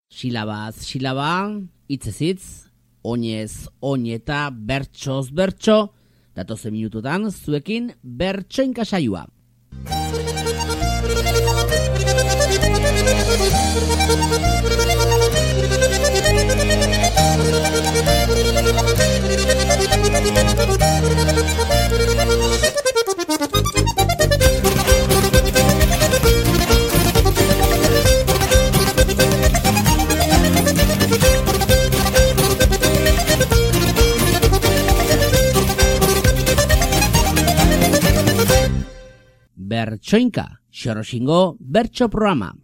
Silabaz silaba, hitzez hitz, oinez oin eta bertsoz bertso, datozen minututan zuekin bertsoinka saioa. Bertsoinka, Xoroxingo bertso programa.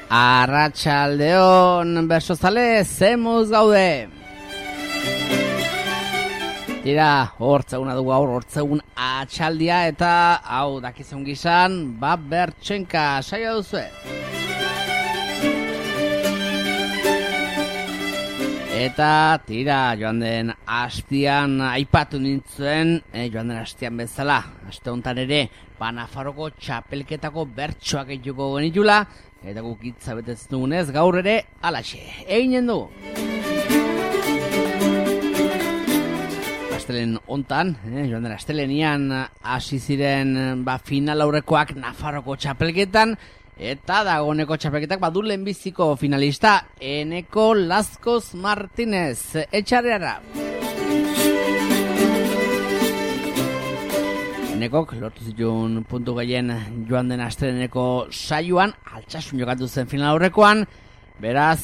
Arratsaldeon bersozale, zemuz gaude. Tira, hortzeguna dugu gaur, hortzegun atxaldia eta hau dakizun gizan, bertsoinka saio duzue. Eta tira, joan den hastian aipatu nintzen, joan den hastian bezala, aste honetan ere, Nafarroko txapelketako bertsoak egituko genitula, eta guk hitza betetzen dugunez gaur ere alaxe, eginen du. Astelen hontan, joan den astelenian hasi ziren final aurrekoak Nafarroko txapelketan, eta dagoeneko txapelketak badu lehenbiziko finalista Eneko Lazkoz Martinez, etxarreara. Enekok lortu zituen puntu gehien joan den asteleneko saioan, Altsasun jokatu zen final aurrekoan, beraz,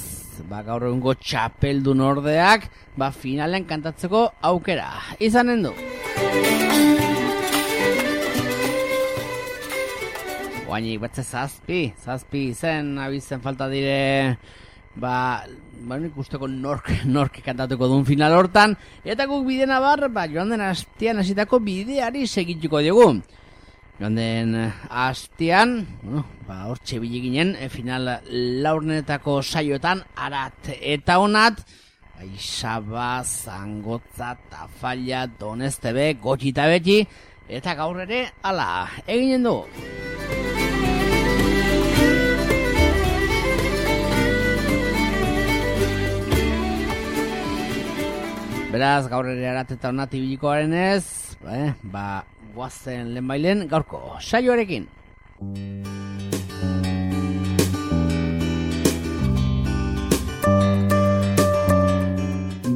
gaur egungo txapeldun ordeak, finalen kantatzeko aukera izanen du. Oainik betze zazpi izen, abizen falta dire, ikusteko nork kantatuko duen final hortan, eta guk bidena joan den hastian hasitako bideari segituko diogu. Joan den hastian, hortxe bileginen, final laurnetako saioetan, arat eta onat, Saba, Zangotza, Tafalla, Donestebe, Gotxi eta Beti, eta gaur ere, ala, eginen du. Beraz, gaur ere arat eta onat ibiliko garenez, guazen lehenbailen gaurko saioarekin.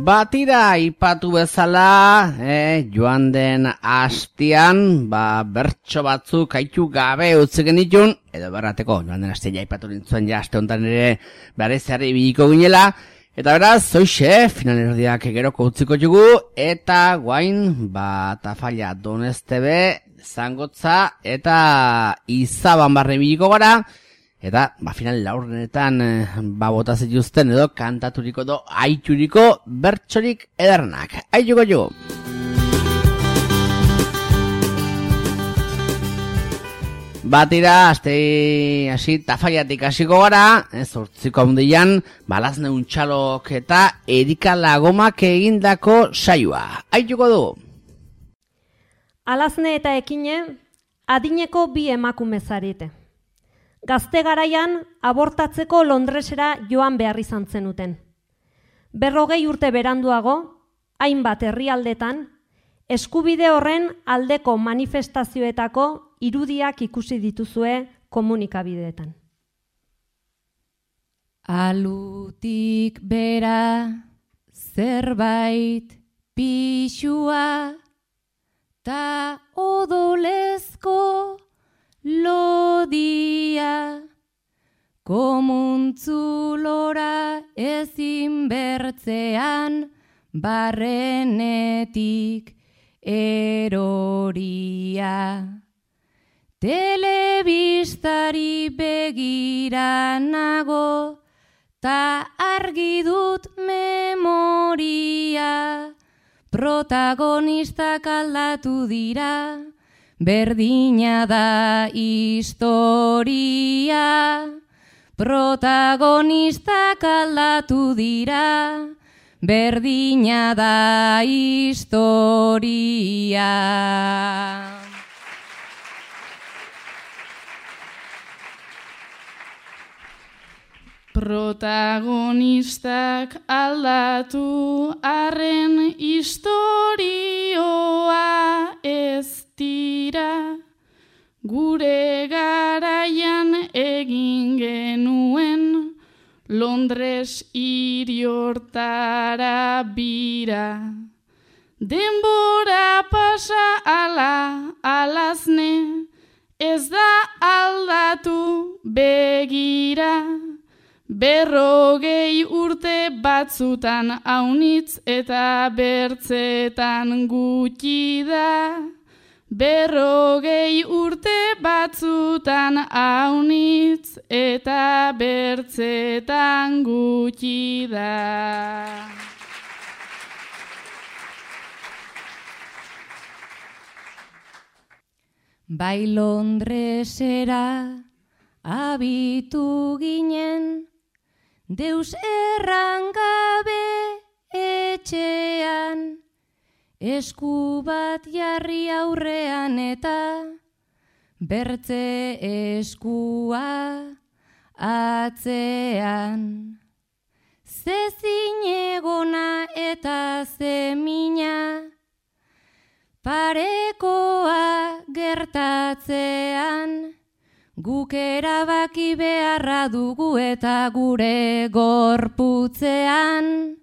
Batira ipatu bezala, joan den hastian, bertso batzuk haitu gabe utzi genitun, edo berrateko, joan den hastian ipatu nintzuen aste honetan ere bereziarri ibiliko ginela, eta beraz, zoixe, finalerdiak geroko utziko jugu, eta guain, Tafalla, Donestebe, Zangotza, eta Izaban barre ibiliko gara, eta final laurdenetan bota zituzten edo kantaturiko edo aituriko bertsorik edernak. Aituko jo! Batira, hasi Tafallatik hasiko gara, zortziko handian, Balazne Untxalok eta Erika Lagomak egindako saioa. Aituko du! Alazne eta Ekine, adineko bi emakume zarete. Gazte garaian abortatzeko Londresera joan behar izan zenuten. 40 urte beranduago, hainbat herrialdetan, eskubide horren aldeko manifestazioetako irudiak ikusi dituzue komunikabideetan. Alutik bera zerbait pixua ta odolezko lodia, komuntzulora ezin bertzean barrenetik eroria. Telebistari begira nago ta argi dut memoria, protagonistak aldatu dira, berdina da historia, protagonistak aldatu dira, berdina da historia. Protagonistak aldatu arren istorioa ez dira, gure garaian egin genuen Londres hiri hortara bira. Denbora pasa alazne, ez da aldatu begira. 40 urte batzutan aunitz eta bertzetan gutxi da. 40 urte batzutan aunitz eta bertzetan gutxi da. Bai Londresera abitu ginen, deus errangabe etxean, esku bat jarri aurrean eta bertze eskua atzean. Ze zinegona eta ze mina, parekoa gertatzean, guk erabaki beharra dugu eta gure gorputzean.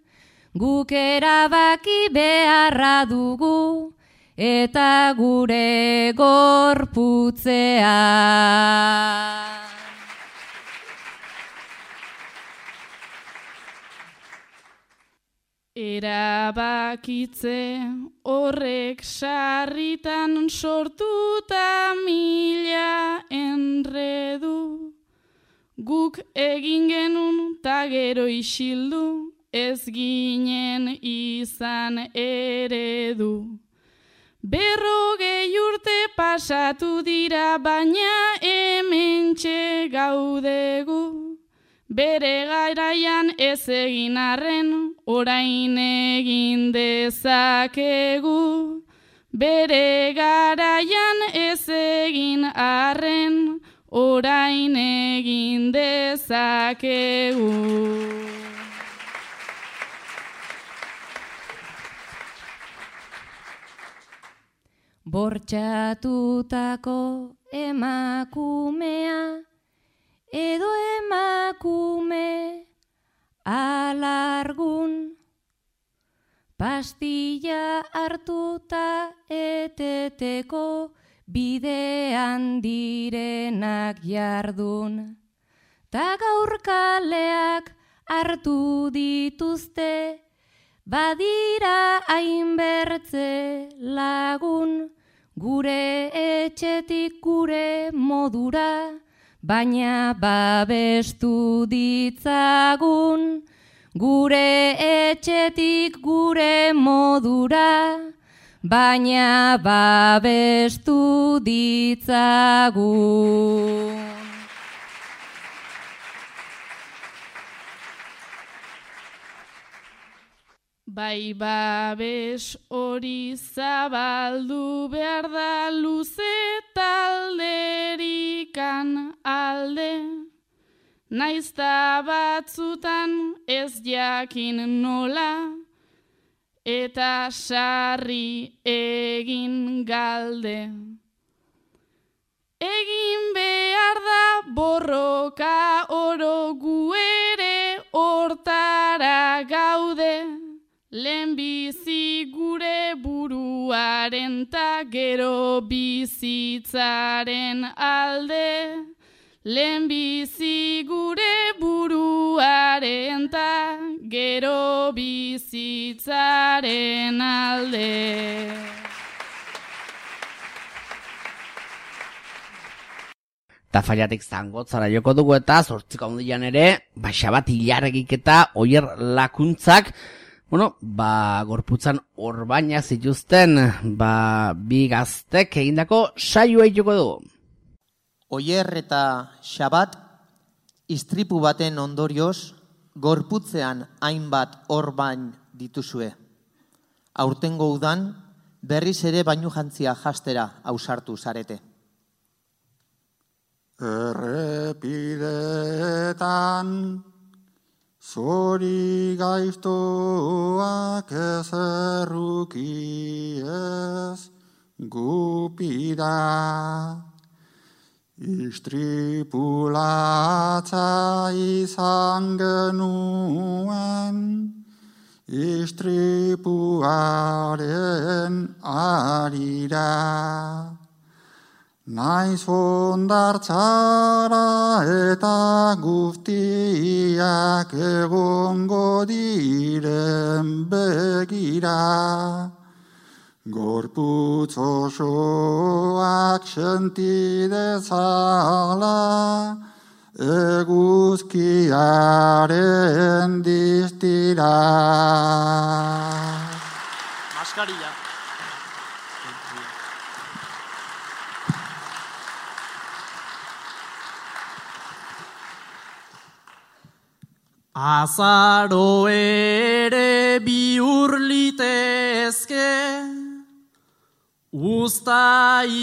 Guk erabaki beharra dugu eta gure gorputzean. Erabakitze horrek sarritan sortuta mila enredu, guk egin genun ta gero isildu, ez ginen izan eredu. 40 urte pasatu dira, baina hementxe gaudegu. Bere garaian ez egin arren, orain egin dezakegu. Bere garaian ez egin arren, orain egin dezakegu. Bortxatutako emakumea, edo emakume alargun, pastilla hartuta eteteko bidean direnak jardun. Ta gaur kaleak hartu dituzte, badira hainbertze lagun, gure etxetik gure modura, baina babestu ditzagun. Gure etxetik gure modura, baina babestu ditzagun. Bai babes hori zabaldu behar da luze talderikan alde, naizta batzutan ez jakin nola, eta sarri egin galde. Egin behar da borroka oro, gu ere hortara gaude, lehenbizi gure buruaren ta gero bizitzaren alde. Lehenbizi gure buruaren ta gero bizitzaren alde. Tafaiatik zangotzara joko dugu eta 8 handian ere, Xabat Ilarregik eta Oier Lakuntzak, gorputzan orbaina zituzten, bi gaztek egindako saioa joko dugu. Oier eta Xabat Istripu baten ondorioz, gorputzean hainbat orbain dituzue. Aurtengo udan, berriz ere bainujantzia jastera ausartu zarete. Errepidetan zori gaiztoak ezerruki ez gupida. Istripulatza izan genuen, istripuaren arira. Naiz hondartzara eta guztiak egongo diren begira. Gorputz osoak senti dezala, eguzkiaren distira. Maskarilla. Azaro ere bihur litezke, uztaileta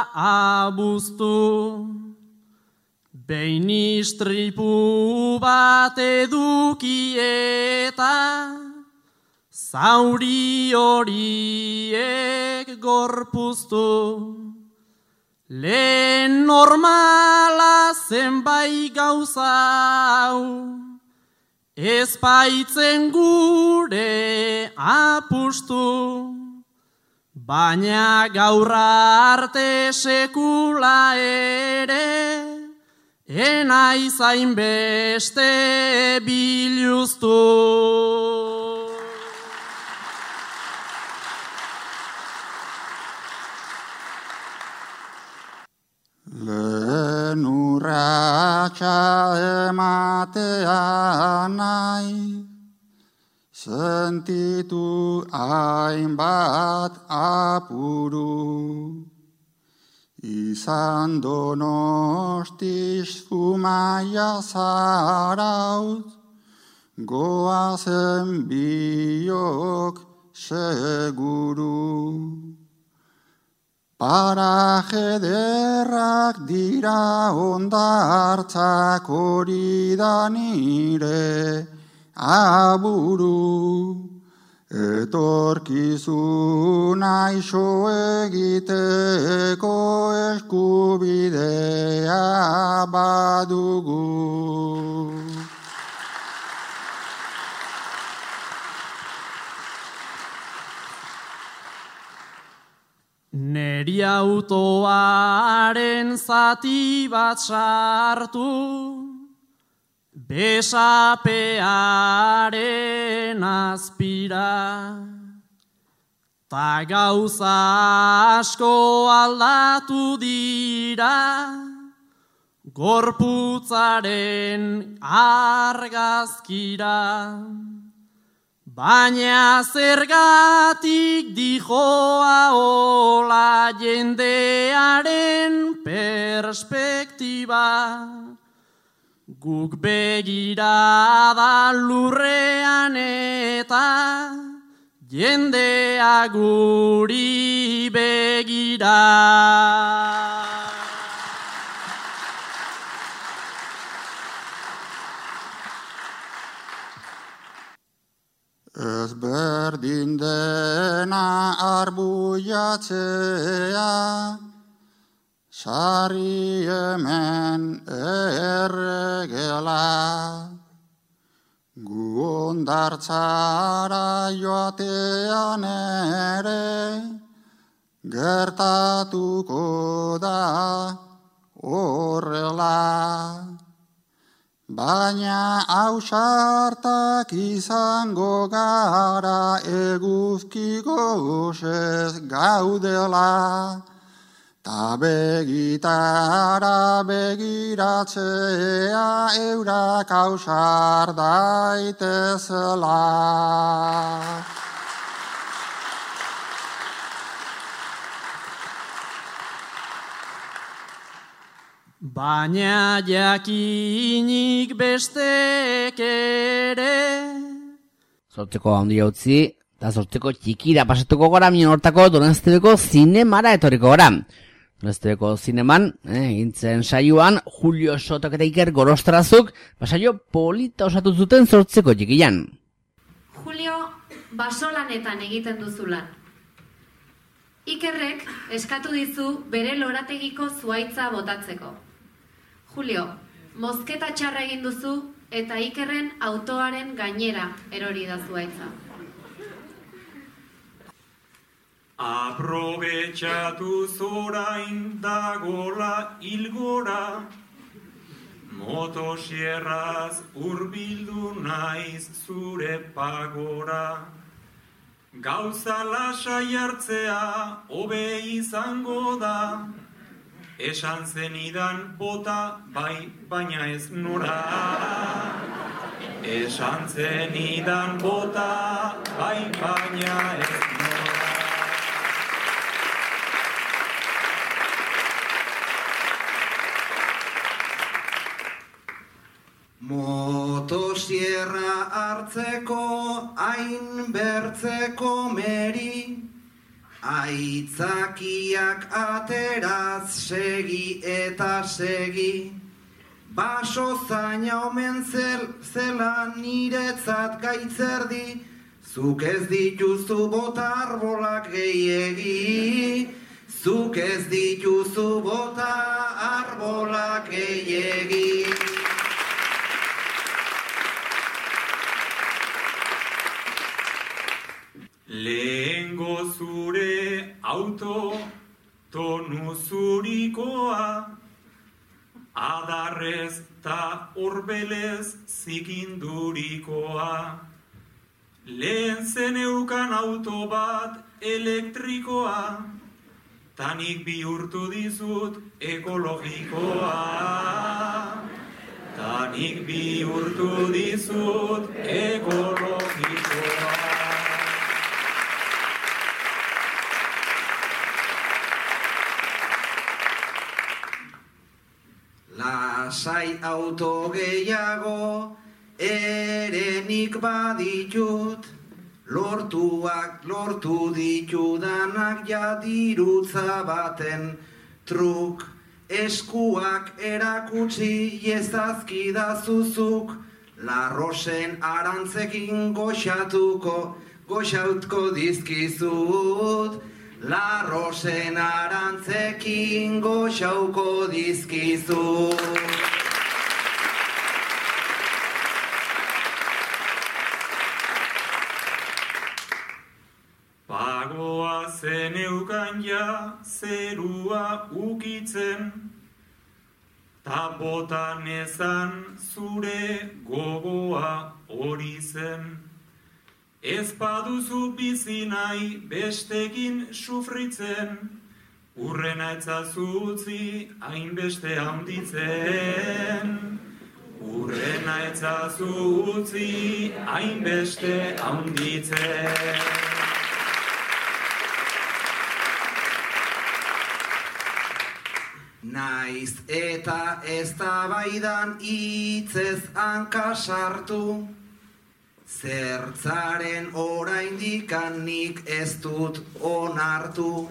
abuztu, behin istripu bat edukieta, zauri horiek gorpuztu. Lehen normala zenbait gauza hau, ez baitzen gure apustu, baina gaur arte sekula ere, enaiz hainbeste biluztu. Lehen urratsa ematea nahi, sentitu hainbat apuru. Izan Donostiz Zumaia Zarautz, goazen biok seguru. Paraje derrak dira hondartzak, hori da nire aburu. Etorkizuna iso egiteko eskubidea badugu. Neri autoaren zati bat sartu, besapearen azpira, ta gauza asko aldatu dira, gorputzaren argazkira. Baina zergatik dijoa ola jendearen perspektiba, guk begirada lurrean eta jendea guri begira. Ez berdin dena arbuiatzea, sarri hemen erregela. Gu hondartzara joatean ere, gertatuko da horrela. Baina ausartak izango gara, eguzki gozez gaudela, ta begitara begiratzea eurak ausar daitezela. baina jakinik bestek ere. Zortzeko handia utzi, eta zortzeko txikira pasatuko gara, minon hortako Donostebeko zinemara etorriko gara. Donostebeko zineman, gintzen saioan, Julio Sotok eta Iker Gorostrazuk, saio polita osatu zuten zortzeko txikian. Julio, basolanetan egiten duzu lan. Ikerrek eskatu dizu bere lorategiko zuhaitza botatzeko. Julio, mozketa txarra egin duzu eta Ikerren autoaren gainera erori da zuhaitza. Aprobetxatu zorain dagola hilgora, motosierraz hurbildu naiz zure pagora. Gauza lasai hartzea hobe izango da, esan zenidan bota bai baina ez nora. Esan zenidan bota bai baina ez nora. Motosierra hartzeko hain bertzeko meri, aitzakiak ateraz segi eta segi. Baso zaina omen zela niretzat gaitzerdi, zuk ez dituzu bota arbolak gehiegi. Zuk ez dituzu bota arbolak gehiegi. Lehengo zure auto tonu zurikoa, adarrez ta orbelez zikindurikoa. Lehen zeneukan auto bat elektrikoa, tanik bihurtu dizut ekologikoa. Tanik bihurtu dizut ekologikoa. Lasai auto gehiago erenik baditut, lortuak lortu ditudanak jadirutza baten truk. Eskuak erakutsi ezazkidazuzuk, larrosen arantzekin goxautko dizkizut. Larrosen arantzekin goxauko dizkizu. Pagoa zeneukan ja zerua ukitzen, ta botan ezan zure gogoa hori zen. Ez baduzu bizi nahi bestekin sufritzen, urrena etzazu utzi hainbeste handitzen. Urrena etzazu utzi hainbeste handitzen. Naiz eta eztabaidan hitzez hanka sartu, zertzaren oraindikan nik ez dut onartu.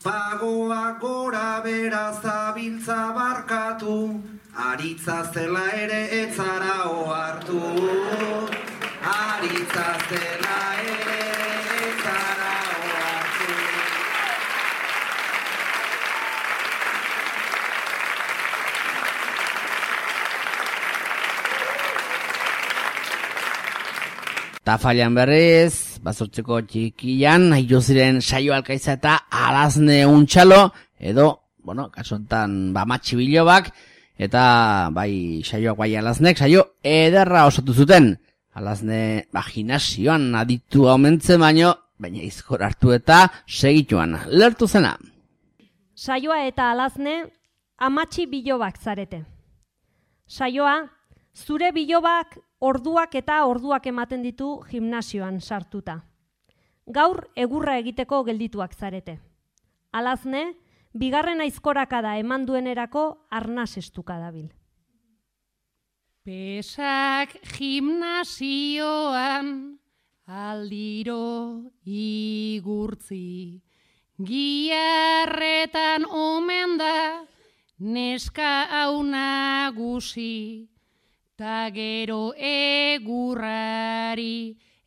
Pagoa gora bera zabiltza barkatu, aritza zela ere etzara ohartu. Aritza zela ere etzara ohartu. Tafailan berriz, bazortzeko txikian, haio ziren saio alkaitza eta alazne untxalo, edo, kasontan, Matxi Bilobak, eta bai saioak bai alaznek, saio ederra osatu zuten. Alazne, gimnasioan aditu omentzen baina izkor hartu eta segituan, lertu zena. Saioa eta alazne, Matxi Bilobak zarete. Saioa, zure bilobak orduak eta orduak ematen ditu gimnasioan sartuta. Gaur egurra egiteko geldituak zarete. Alazne, bigarren aizkorakada eman duenerako arnaz estuka dabil. Pesak gimnasioan aldiro igurtzi, giarretan omen da neska hau nagusi, ta gero egurrari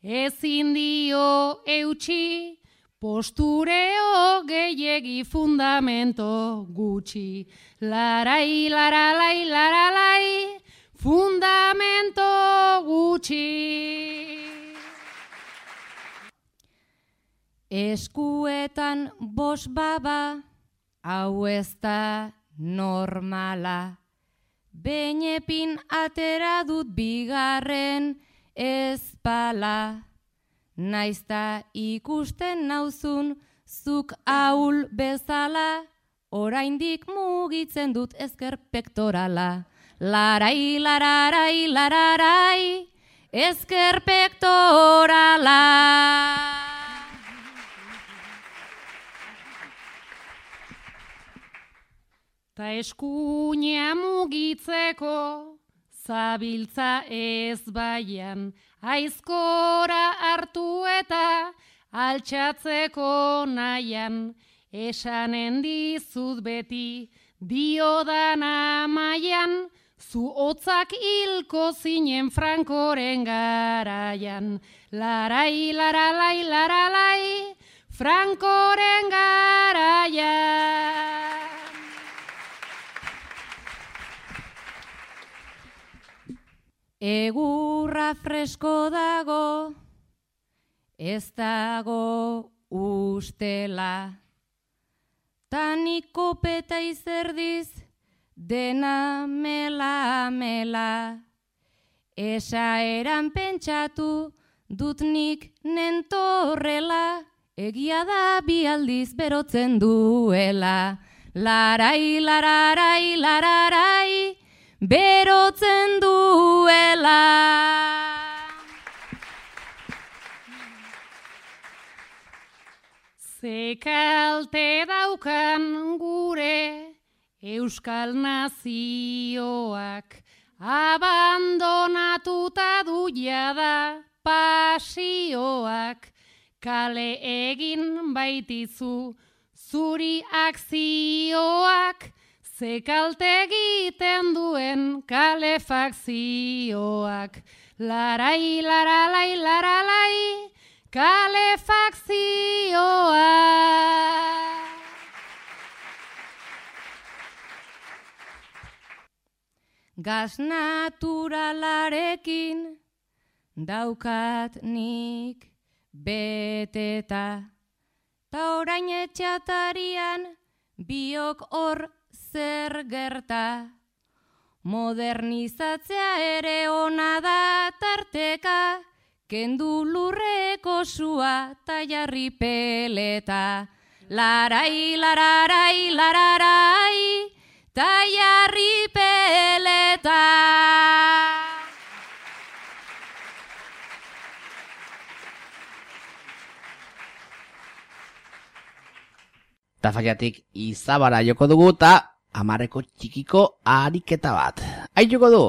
ezin dio eutxi, postureo gehiegi fundamento gutxi. Larai, laralai, laralai, fundamento gutxi. Eskuetan bos baba, hau ez da normala. Beinepin atera dut bigarren ezpala. Naizta ikusten nauzun zuk ahul bezala, oraindik mugitzen dut ezker pektorala. Larai, lararai, lararai, ezker pektorala. Ta eskuina mugitzeko zabiltza ez baian, aizkora hartu eta altxatzeko nahian, esanen dizut beti diodan amaian, zu hotzak hilko zinen Frankoren garaian. Larai, laralai, laralai, Frankoren garaian. Egurra fresko dago, ez dago ustela. Tanik kopeta izerdiz, dena mela mela. Esaeran pentsatu dut nik nentorrela, egia da bi aldiz berotzen duela. Larai, lararai, lararai, berotzen duela. Ze kalte daukan gure Euskal nazioak, abandonatuta du jada pasioak, kale egin baitizu zuri akzioak, ze kalte egiten duen kalefakzioak. Larai, laralai, laralai, kalefakzioak. Gaz naturalarekin daukat nik beteta, ta orain etxatarian biok hor zer gerta. Modernizatzea ere ona da tarteka, kendu lurreko sua ta jarri peleta. Larai, lararai, lararai, ta jarri peleta. Tafaiatik Izabara joko dugu eta Amarreko txikiko ariketa bat. Aituko du?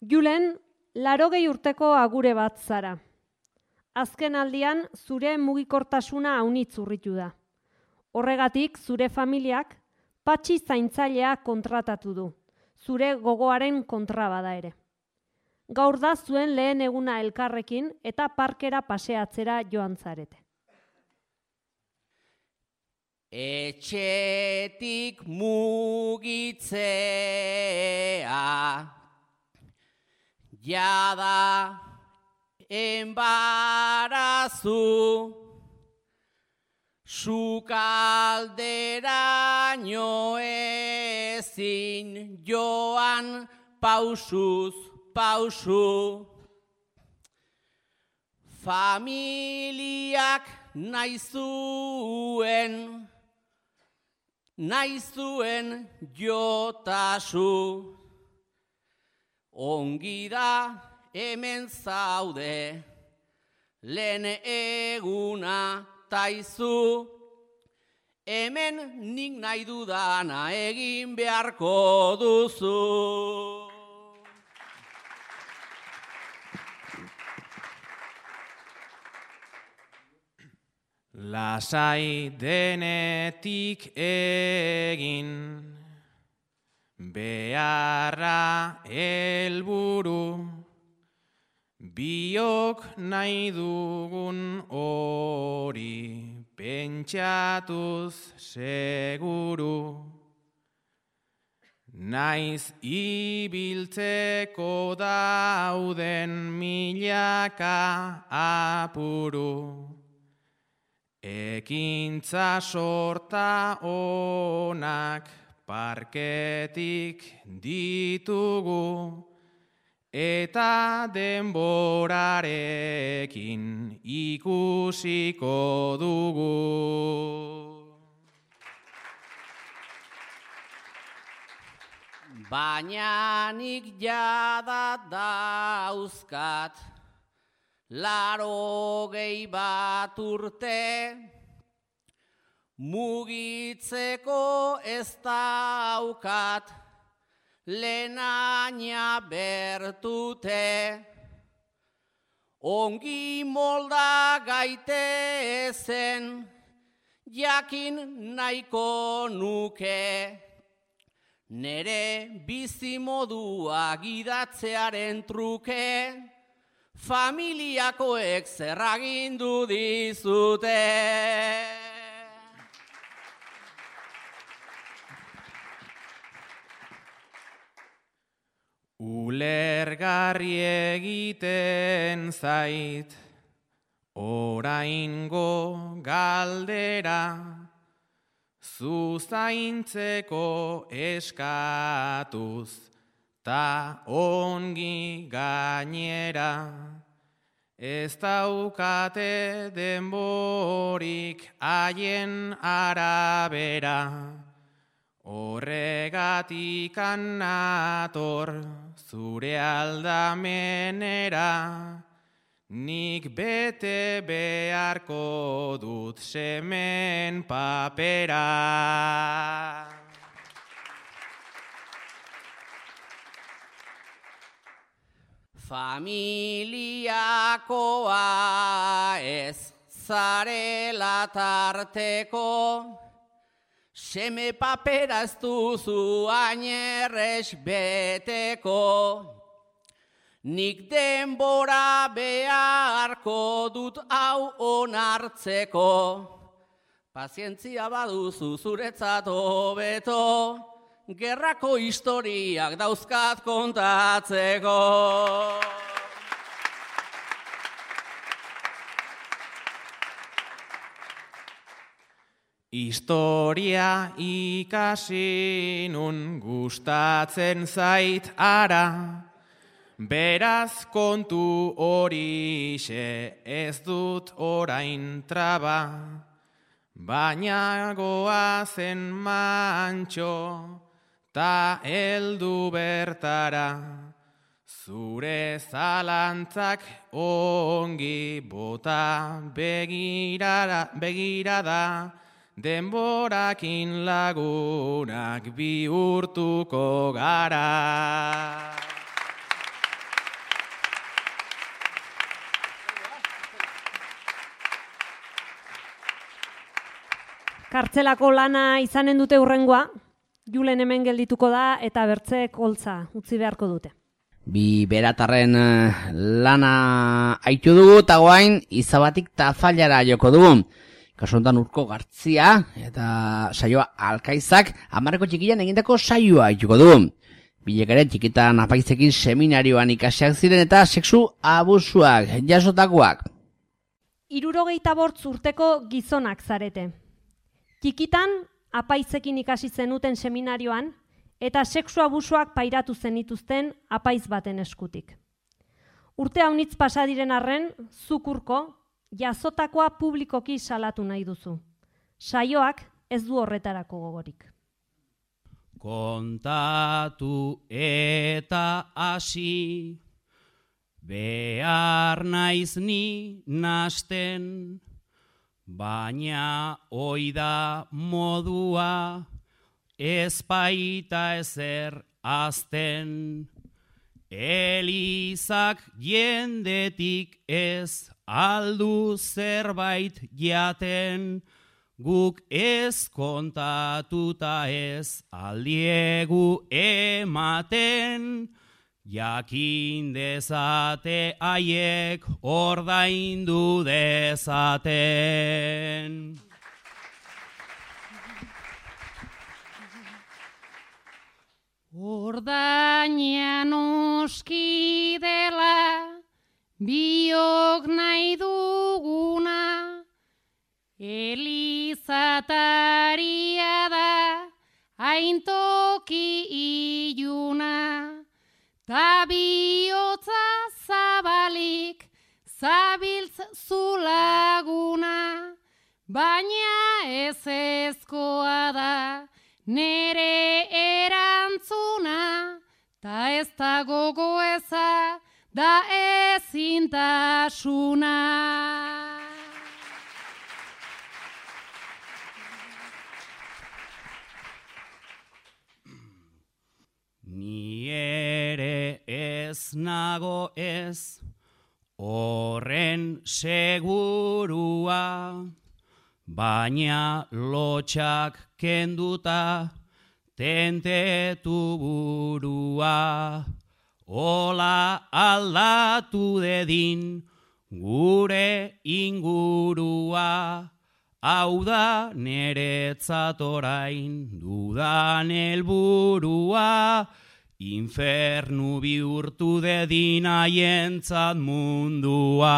Julen, 80 urteko agure bat zara. Azken aldian zure mugikortasuna haunitz urritu da. Horregatik zure familiak patxi zaintzailea kontratatu du, zure gogoaren kontra bada ere. Gaur da zuen lehen eguna elkarrekin eta parkera paseatzera joan zarete. Etxetik mugitzea, jada enbarazu, sukalderaino ezin joan pausuz pausu. Familiak nahi zuen jotasu, ongi da hemen zaude, lehen eguna taizu, hemen nik nahi dudana egin beharko duzu. Lasai denetik egin, beharra helburu, biok nahi dugun hori pentsatuz seguru. Naiz ibiltzeko dauden milaka apuru, ekintza sorta onak parketik ditugu, eta denborarekin ikusiko dugu. Baina nik jada dauzkat 80 urte, mugitzeko ez daukat lehenaina bertute. Ongi molda gaitezen jakin nahiko nuke, nere bizimodua gidatzearen truke, familiakoek zer agindu dizute. Ulergarri egiten zait oraingo galdera, zuzaintzeko eskatuz ta ongi gainera. Ez daukate denborik haien arabera, horregatik nator zure aldamenera, nik bete beharko dut semen papera. Familiakoa ez zarela tarteko, seme papera ez duzu ainerrez beteko. Nik denbora beharko dut hau onartzeko, pazientzia baduzu zuretzat hobeto, gerrako historiak dauzkat kontatzeko. Historia ikasi nun gustatzen zait ara, beraz kontu horixe ez dut orain traba, baina goazen mantxo ta heldu bertara, zure zalantzak ongi bota begirada, denborakin lagunak bihurtuko gara. Kartzelako lana izanen dute hurrengoa, Julen hemen geldituko da eta bertzeek holtza utzi beharko dute. Bi beratarren lana aitu dugu eta guain izabatik tafallara joko dugu. Kasu honetan Urko Gartzia eta saioa Alkaizak 10ko txikian egindako saioa aituko dugu. Bilek ere txikitan apaizekin seminarioan ikasiak ziren eta sexu abusuak jasotakoak. 75 urteko gizonak zarete. Txikitan apaizekin ikasi zenuten seminarioan eta sexu abusuak pairatu zenituzten apaiz baten eskutik. Urte haunitz pasa diren arren, zuk Urko, jazotakoa publikoki salatu nahi duzu. Saioak ez du horretarako gogorik. Kontatu eta hasi, behar naiz ni nasten, baina oida modua ez baita ezer azten. Elizak jendetik ez aldu zerbait jaten, guk ez kontatuta ez aldiegu ematen, jakin dezate haiek ordaindu dezaten. Ordaina noski dela, biok nahi duguna, elizataria da, haintoki iluna, ta bihotza zabalik, zabiltz zulaguna, baina ez ezkoa da, nere erantzuna, ta ez da gogoeza, da ezintasuna. Ni ere ez nago ez, horren segurua, baina lotxak kenduta tentetu burua. Ola aldatu dedin gure ingurua, hau da neretzat orain dudan helburua, infernu bihurtu dedin haientzat mundua.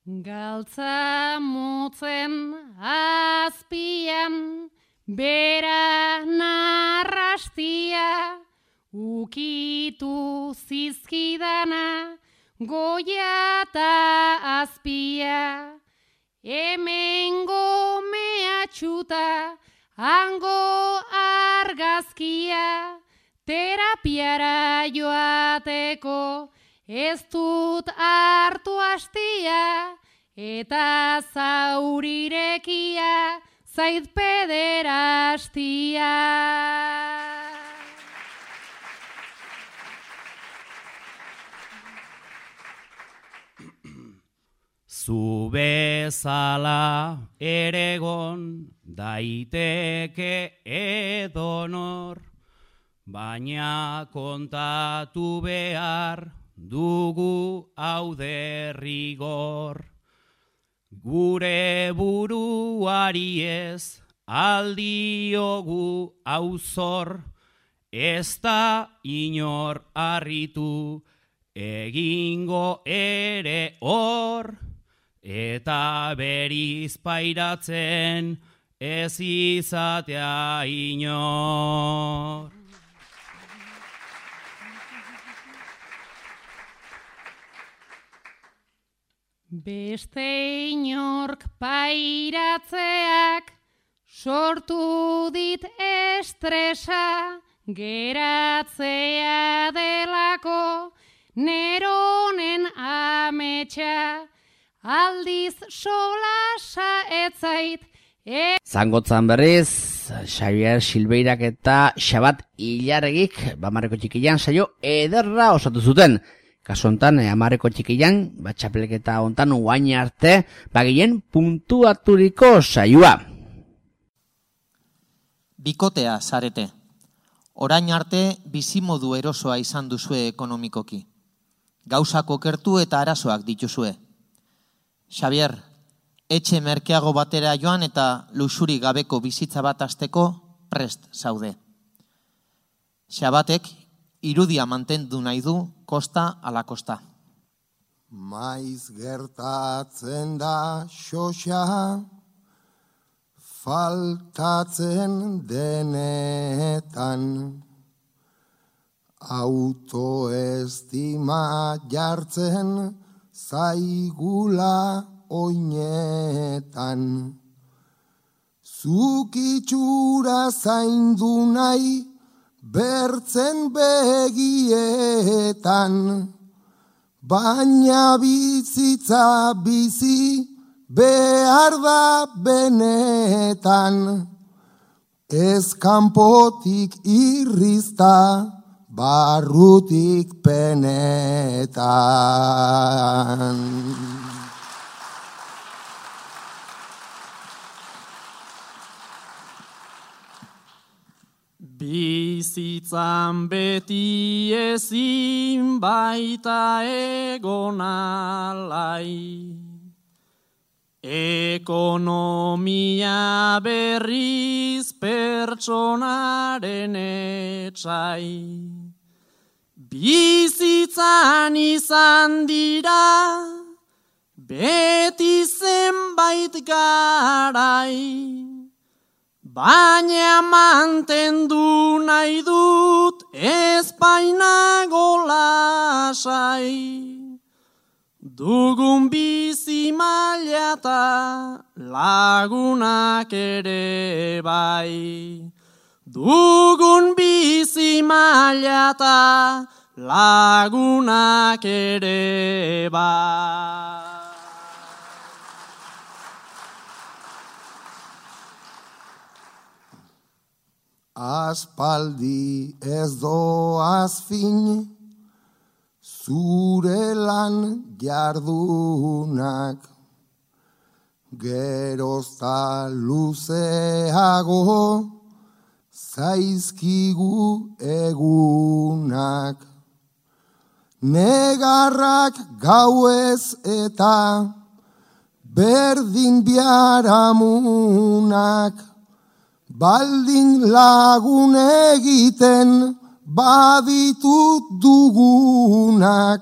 Galtza motzen azpian, bera narrastia, ukitu zizkidana, goia eta azpia. Hemengo mehatxuta, hango argazkia, terapiara joateko, ez dut hartu hastia, eta zaurirekia zait pederastia. Zu bezala eregon daiteke edonor, baina kontatu behar dugu hau derrigor. Gure buruari ez aldiogu auzor, ez da inor harritu egingo ere hor, eta beriz pairatzen ez izatea inor. Beste inork pairatzeak sortu dit estresa, geratzea delako neronen ametsa, aldiz solasa etzait. Zangotzan berriz, Xabier Silbeirak eta Xabat Ilarregik, Amarreko Txikilan saio ederra osatu zuten. Kasu hontan, Amarreko Txikilan, txapelketa hontan guain arte, bagien puntuaturiko saioa. Bikotea zarete. Orain arte bizimodu erosoa izan duzue ekonomikoki. Gauzak okertu eta arazoak dituzue. Xabier, etxe merkeago batera joan eta luxuri gabeko bizitza bat hasteko prest zaude. Xabatek irudia mantendu nahi du kosta ala kosta. Maiz gertatzen da xoxa, faltatzen denetan, autoestima jartzen zaigula oinetan. Zuk itxura zaindu nahi bertzen begietan, baina bizitza bizi behar da benetan, ez kanpotik irrizta, barrutik penetan. Bizitzan beti ezin baita egon alai, ekonomia berriz pertsonaren etsai. Bizitzan izan dira beti zenbait garai, baina mantendu nahi dut ezpainago lasai. Dugun bizi maila eta lagunak ere bai. Dugun bizi maila eta lagunak ere bai. Aspaldi ez doaz fin, zure lan jardunak, gerozta luzeago zaizkigu egunak. Negarrak gauez eta berdin biharamunak, baldin lagun egiten baditut dugunak.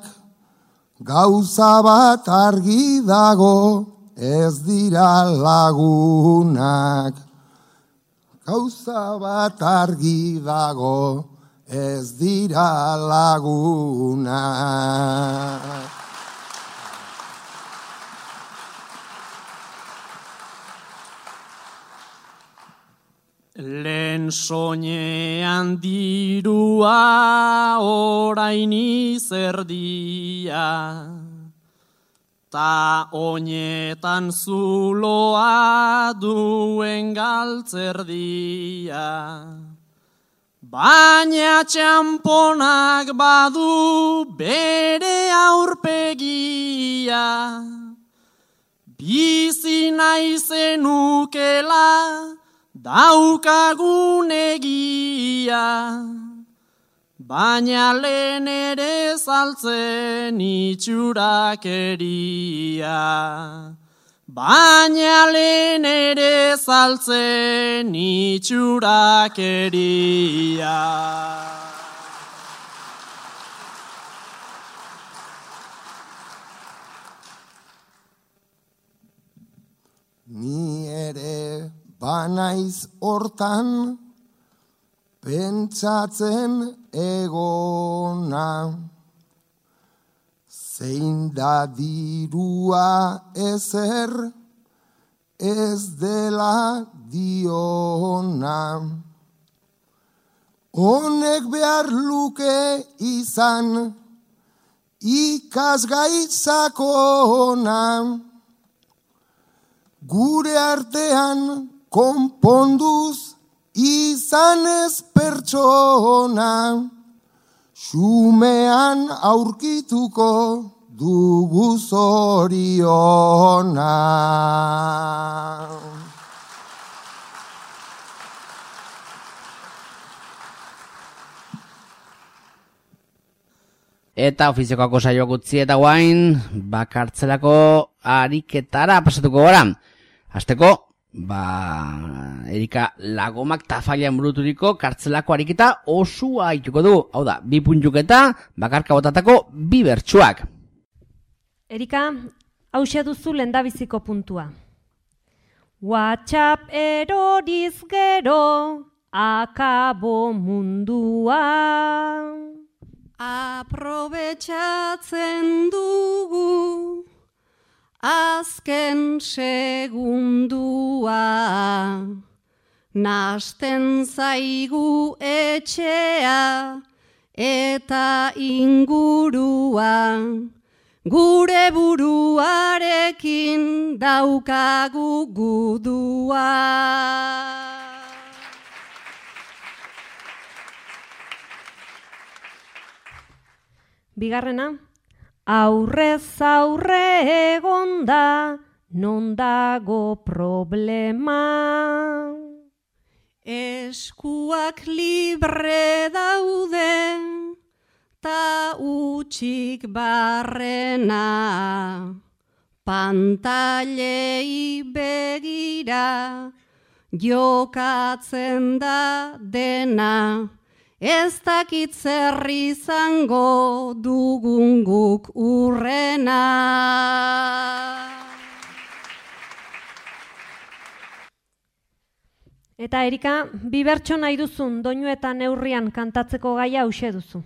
Gauza bat argi dago, ez dira lagunak. Gauza bat argi dago, ez dira lagunak. Lehen soinean dirua orain izerdia, ta oinetan zuloa duen galtzerdia. Baina txamponak badu bere aurpegia, bizi nahi zenukela daukagun egia, baina lehen ere saltzen itxurakeria. Baina lehen ere saltzen itxurakeria. Ni ere banaiz hortan pentsatzen egona, zein da dirua ezer ez dela diona. Honek behar luke izan ikasgai sakona, gure artean konponduz izan ez pertsona, xumean aurkituko dugu zoriona. Eta ofiziokako saioak utzi eta guain, bakartzelako ariketara pasatuko gara. Hasteko, Erika Lagomak tafailan buruturiko kartzelako ariketa osua ituko du. Hau da, 2 puntuketa, bakarka botatako 2 bertsuak. Erika, hauxe duzu lehendabiziko puntua. WhatsApp eroriz gero, akabo mundua. Aprobetxatzen dugu azken segundua, nasten zaigu etxea eta ingurua, gure buruarekin daukagu gudua. Bigarrena, aurrez aurre egonda, non dago problema. Eskuak libre daude, ta utxik barrena. Pantailei begira, jokatzen da dena. Ez dakit zer izango dugun guk urrena. Eta Erika, bi bertso nahi duzun doinu eta neurrian kantatzeko gaia hauxe duzu.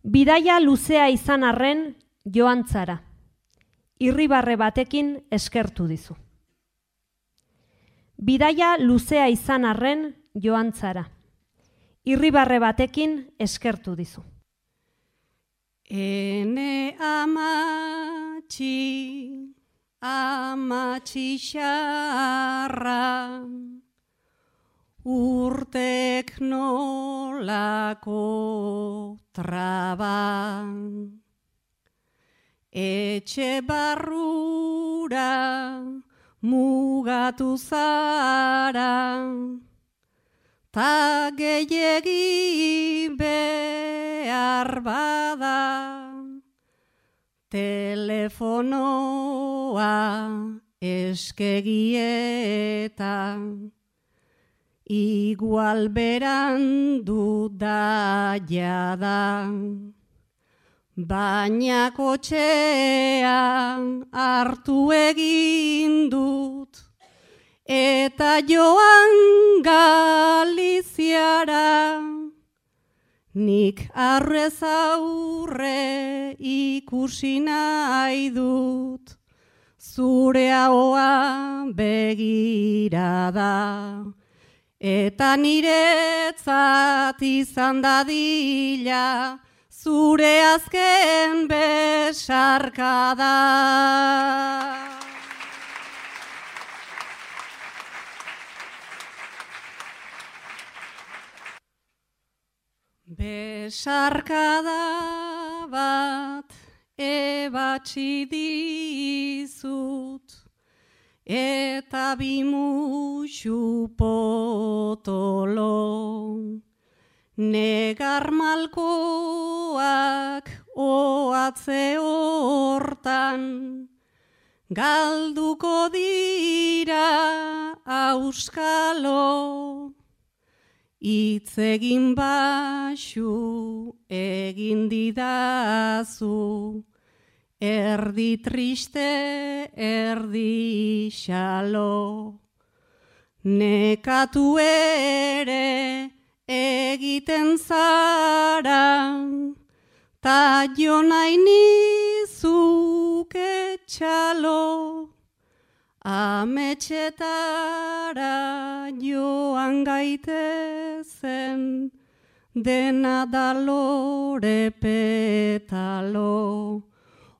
Bidaia luzea izan arren joan zara. Irribarre batekin eskertu dizu. Bidaia luzea izan arren joan zara. Irribarre batekin eskertu dizu. Ene amatxi xarra, urtek nolako traba, etxe barrura mugatu zara, ta gehiegi behar bada, telefonoa eskegietan, igual berandu da jada, baina kotxean hartu egin dut, eta joan Galiziara, nik arrez aurre ikusi nahi dut, zure ahoa begirada, eta niretzat izan dadila, zure azken besarkada. Besarkada bat ebatzi dizut, eta bi musu potolo, negar malkoak oatze hortan, galduko dira auskalo, hitz egin baxu egin didazu, erdi triste, erdi xalo. Nekatu ere egiten zara, ta jo nahi nizuk etxalo. Ametxetara joan gaitezen, dena da lore petalo.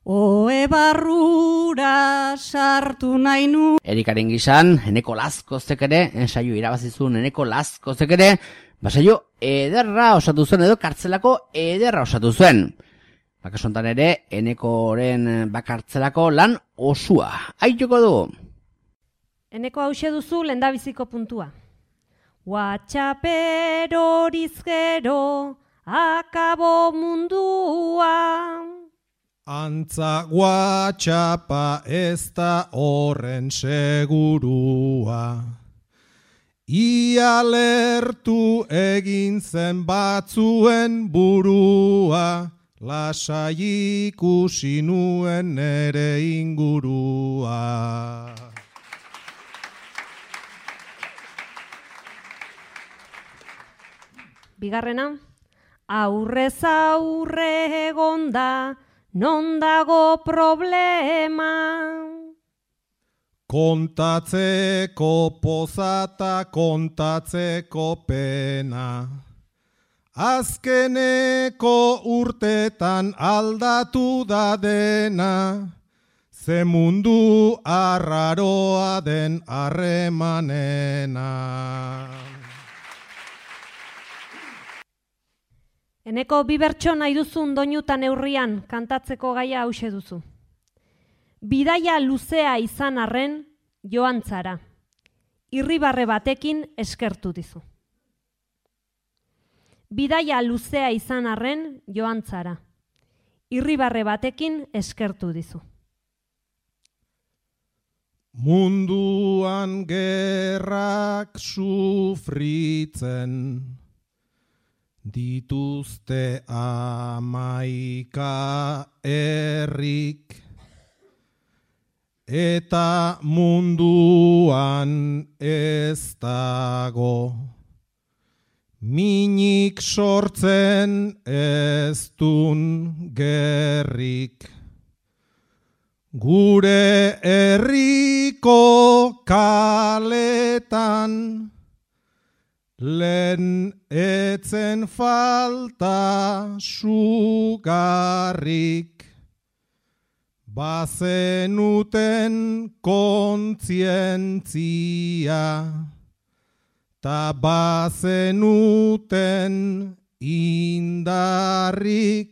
Oe barrura sartu nahi nu. Erikaren gizan, Eneko Lazkozek ere, ensaio irabazizun Eneko Lazkozek ere, basaio ederra osatu zuen edo kartzelako ederra osatu zuen. Bakasontan ere, Enekoren bakartzelako lan osua. Aitoko dugu. Eneko hause duzu lehendabiziko puntua. Whatsapp horiz gero, akabo mundua. Antza WhatsAppa ez da horren segurua. Ia lertu egin zen batzuen burua, lasai ikusi nuen nere ingurua. Bigarrena, aurrez aurre egonda, non dago problema. kontatzeko pozata, kontatzeko pena. Azkeneko urtetan aldatu da dena, ze mundu arraroa den harremanena. Eneko bi bertso nahi duzun doinutan neurrian kantatzeko gaia hause duzu. Bidaia luzea izan arren joan zara. Irribarre batekin eskertu dizu. Bidaia luzea izan arren joan zara. Irribarre batekin eskertu dizu. Munduan gerrak sufritzen dituzte 11 herrik, eta munduan ez dago minik sortzen ez dun gerrik. Gure herriko kaletan lehen etzen falta sugarrik, bazenuten kontzientzia, ta bazenuten indarrik.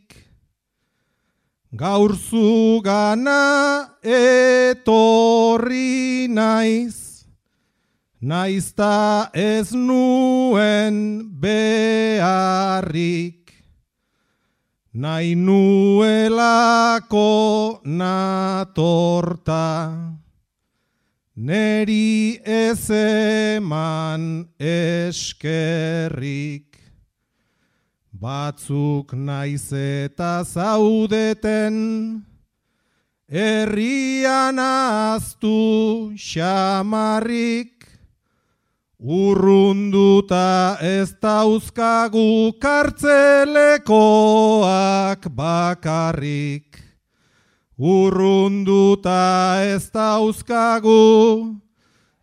Gaur zugana etorri naiz, naizta ez nuen beharrik, nahi nuelako natorta, neri ez eman eskerrik. Batzuk naiz eta zaudeten, herrian ahaztu xamarrik, urrunduta ez dauzkagu kartzelekoak bakarrik. Urrunduta ez dauzkagu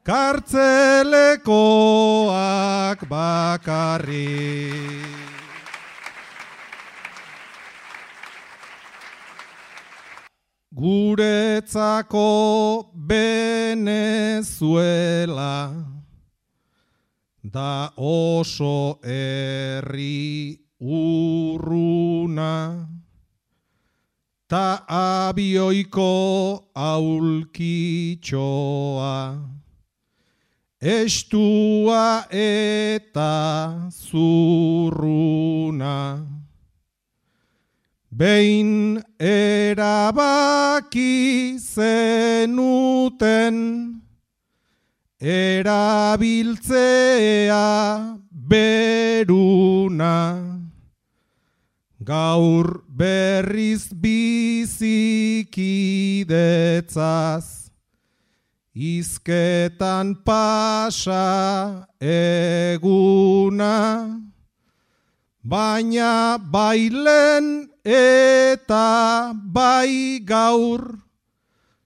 kartzelekoak bakarrik. Guretzako Venezuela da oso herri urruna, ta abioiko aulkitxoa, estua eta zurruna. Behin erabaki zenuten erabiltzea beruna, gaur berriz bizikidetzaz, izketan pasa eguna, baina bailen eta bai gaur,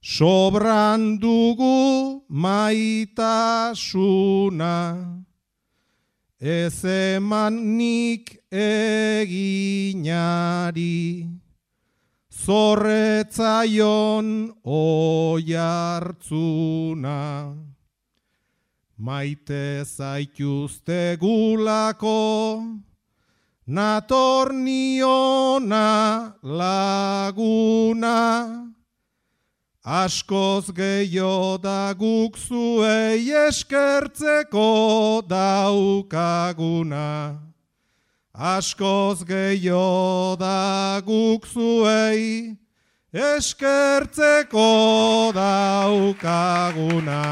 sobran dugu maitasuna, ez eman nik eginari, zorretzaion oihartzuna. Maite zaituzte gulako, nator niona laguna, askoz gehiago da guk zuei eskertzeko daukaguna. Askoz gehiago da guk zuei eskertzeko daukaguna.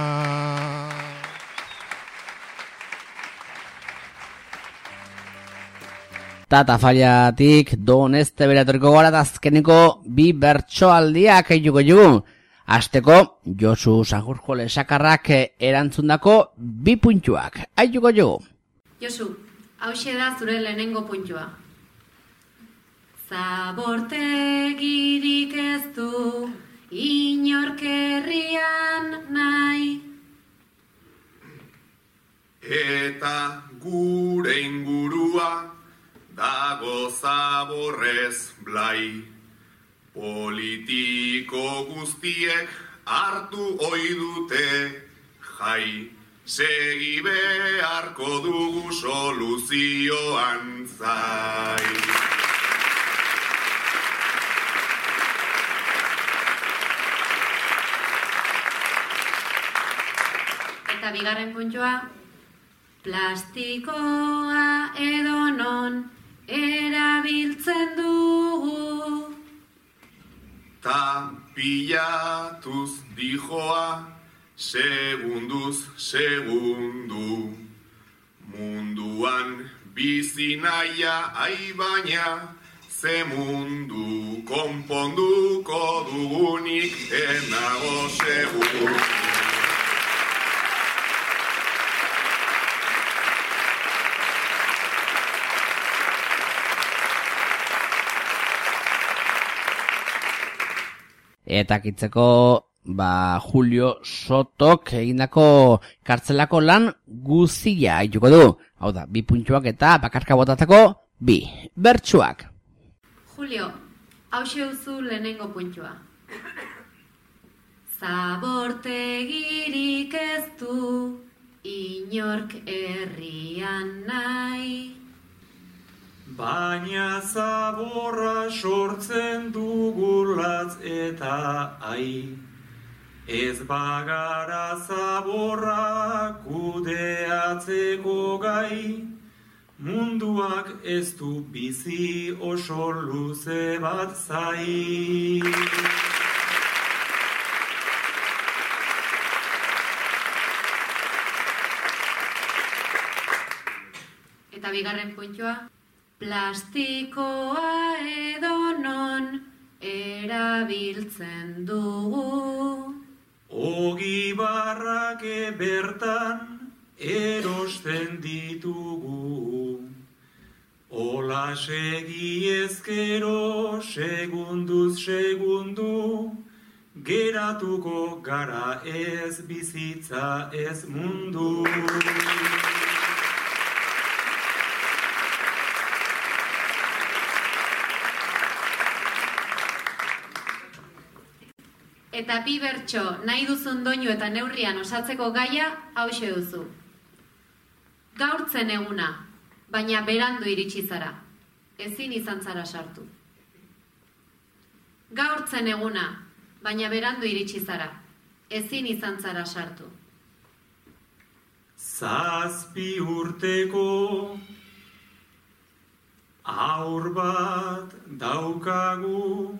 Tatafaliatik Doneste beratoriko gara azkeneko bi bertsoaldiak eituko jugu. Azteko Josu Sagurjo Lesakarrak erantzundako bi puntuak. Aituko jugu. Josu, hauxe da zure lehenengo puntua. Zabortegirik ez du inork herrian nahi. Eta gure ingurua dago zaborrez blai. Politiko guztiek hartu ohi dute jai. Segi beharko dugu soluzioan zai. Eta bigarren puntua, plastikoa edonon erabiltzen dugu. Ta pilatuz dijoa, segunduz segundu. Munduan bizi naia baina, ze mundu konponduko dugunik enago seguru. Eta kitzeko, Julio Sotok egindako kartzelako lan guzia aituko du. Hau da, 2 puntuak eta bakarka botatzeko 2 bertsuak. Julio, hauxe uzu lehenengo puntua. Zabortegirik ez du inork herrian nahi. Baina zaborra sortzen dugulatz eta ai. Ez bagara zaborra kudeatzeko gai. Munduak ez du bizi oso luze bat zai. Eta bigarren puntua. Plastikoa edonon erabiltzen dugu. Ogibarrak bertan erosten ditugu. Ola segi ezkero segunduz segundu. Geratuko gara ez bizitza ez mundu. Eta 2 bertso nahi duzun doinu eta neurrian osatzeko gaia hauxe duzu. Gaurtzen eguna, baina berandu iritsi zara. Ezin izan zara sartu. Gaurtzen eguna, baina berandu iritsi zara. Ezin izan zara sartu. 7 urteko haur bat daukagu.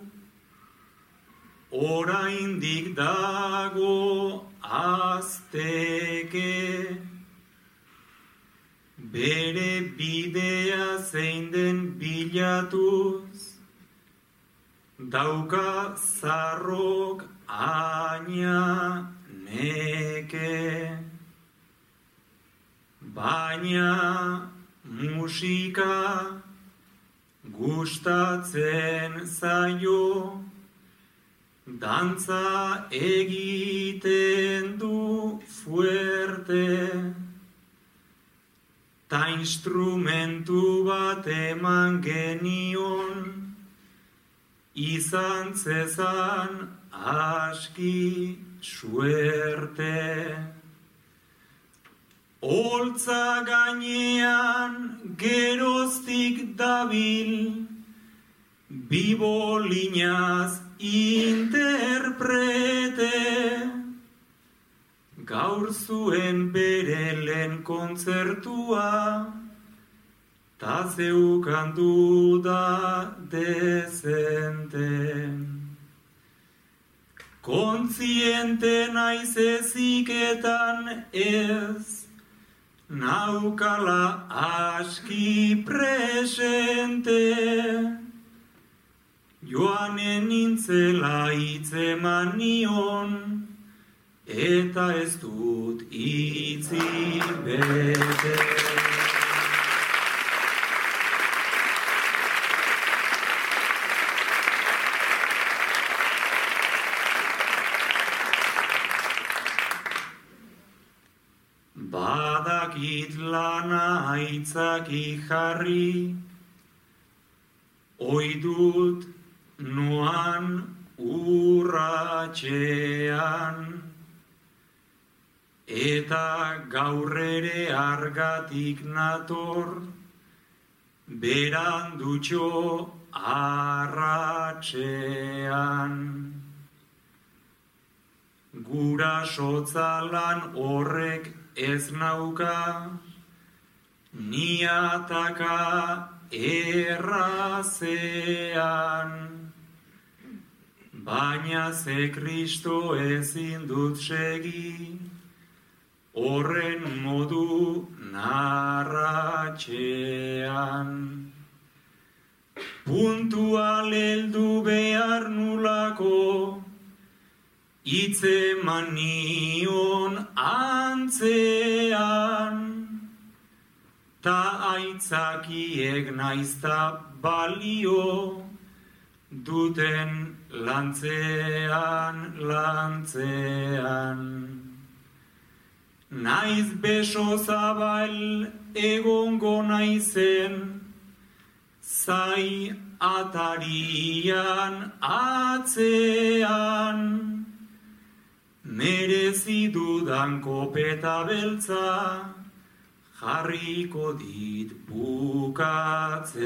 Oraindik dago azteke, bere bidea zein den bilatuz, dauka zarrok aina neke. Baina musika gustatzen zaio, dantza egiten du fuerte, ta instrumentu bat eman genion, izan zezan aski suerte. Holtza gainean geroztik dabil, bibolinaz interprete, gaur zuen bere lehen kontzertua, ta zeukan duda dezente. Kontziente naiz eziketan ez, naukala aski presente, joanen nintzela hitzeman nion, eta ez dut hitzi bete. aitzaki jarri, oidut noan urratxean, eta gaur ere argatik nator, berandutxo arratxean. Gura sotzalan horrek ez nauka, niataka errazean. Baina ze Kristo ezin dut segi, horren modu narratxean. Puntual heldu behar nulako, itzeman nion antzean, ta aitzakiek naizta balio, duten lantzean. Naiz beso zabal egongo naizen, zai atarian atzean, merezi dudan kopeta beltza, jarriko dit bukatzean.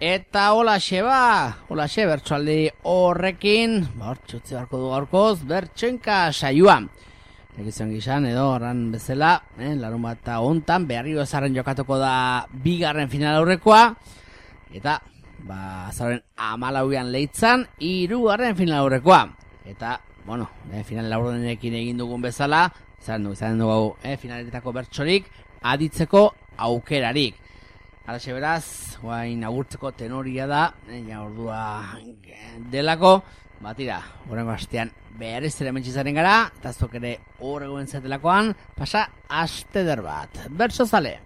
Eta holaxe bertsoaldi horrekin, hortxutzi barko du gaurkoz, bertsoenka saioa. Egizan gizan edo horran bezala, larun bat hontan, Beharrio Ezarren jokatuko da bigarren final aurrekoa, eta azaren 14an Leitzan, 3. final aurrekoa. Eta, final laurdenekin egin dugun bezala, izan dugu finaletako bertsorik, aditzeko aukerarik. Halaxe beraz, guain agurtzeko tenoria da, ordua delako, batira, horrengo astean behar ez ere mentxizaren gara, eta zok ere horrego entzatelakoan, pasa aste der bat. Bertso zale!